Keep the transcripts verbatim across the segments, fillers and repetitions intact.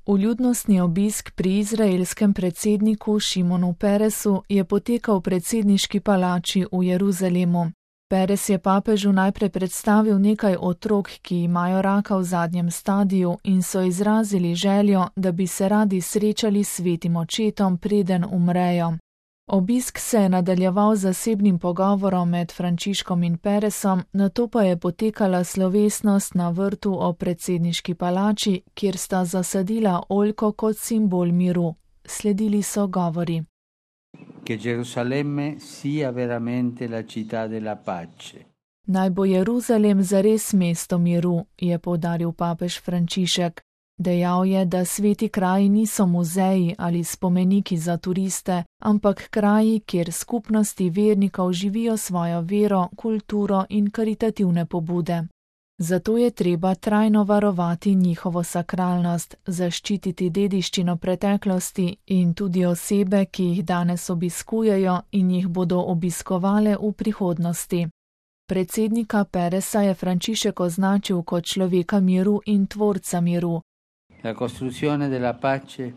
Vljudnostni obisk pri izraelskem predsedniku Šimonu Peresu je potekal v predsedniški palači v Jeruzalemu. Peres je papežu najprej predstavil nekaj otrok, ki imajo raka v zadnjem stadiju in so izrazili željo, da bi se radi srečali s svetim očetom, preden umrejo. Obisk se je nadaljeval z zasebnim pogovorom med Frančiškom in Peresom, nato pa je potekala slovesnost na vrtu ob predsedniški palači, kjer sta zasadila oljko kot simbol miru. Sledili so govori. Che Gerusalemme sia veramente la città della pace. Naj bo Jeruzalem zares mesto miru, je poudaril papež Frančišek. Dejal je, da sveti kraji niso muzeji ali spomeniki za turiste, ampak kraji, kjer skupnosti vernikov živijo svojo vero, kulturo in karitativne pobude. Zato je treba trajno varovati njihovo sakralnost, zaščititi dediščino preteklosti in tudi osebe, ki jih danes obiskujejo in jih bodo obiskovale v prihodnosti. Predsednika Peresa je Frančišek označil kot človeka miru in tvorca miru. La costruzione della pace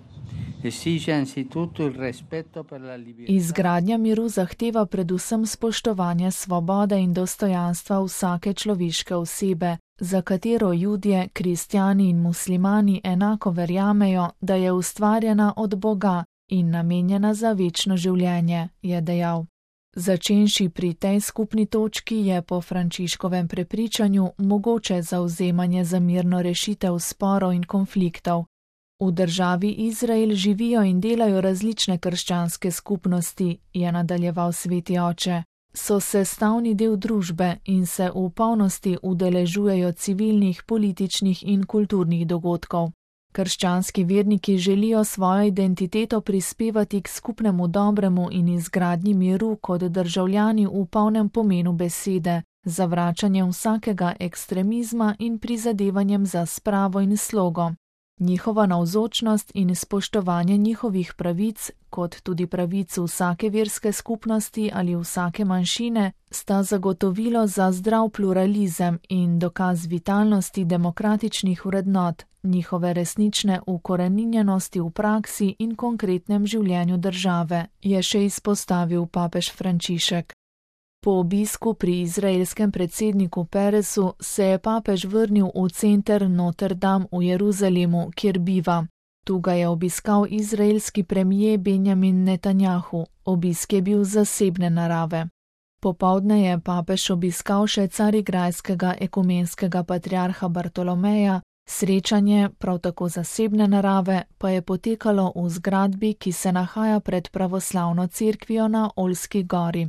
esige anzitutto il rispetto per la libertà. Izgradnja miru zahteva predvsem spoštovanje svobode in dostojanstva vsake človeške osebe, za katero Judje, kristjani in muslimani enako verjamejo, da je ustvarjena od Boga in namenjena za večno življenje, je dejal. Začenši pri tej skupni točki je po Frančiškovem prepričanju mogoče zavzemanje za mirno rešitev sporov in konfliktov. V državi Izrael živijo in delajo različne krščanske skupnosti, je nadaljeval sveti oče. So sestavni del družbe in se v polnosti udeležujejo civilnih, političnih in kulturnih dogodkov. Krščanski verniki želijo svojo identiteto prispevati k skupnemu dobremu in izgradnji miru kot državljani v polnem pomenu besede, zavračanjem vsakega ekstremizma in prizadevanjem za spravo in slogo. Njihova navzočnost in spoštovanje njihovih pravic, kot tudi pravic vsake verske skupnosti ali vsake manjšine, sta zagotovilo za zdrav pluralizem in dokaz vitalnosti demokratičnih vrednot, njihove resnične ukoreninjenosti v praksi in konkretnem življenju države, je še izpostavil papež Frančišek. Po obisku pri izraelskem predsedniku Peresu se je papež vrnil v center Notre Dame v Jeruzalemu, kjer biva. Tu ga je obiskal izraelski premijer Benjamin Netanjahu. Obisk je bil zasebne narave. Popoldne je papež obiskal še carigrajskega ekumenskega patriarha Bartolomeja, srečanje, prav tako zasebne narave, pa je potekalo v zgradbi, ki se nahaja pred pravoslavno cerkvijo na Oljski gori.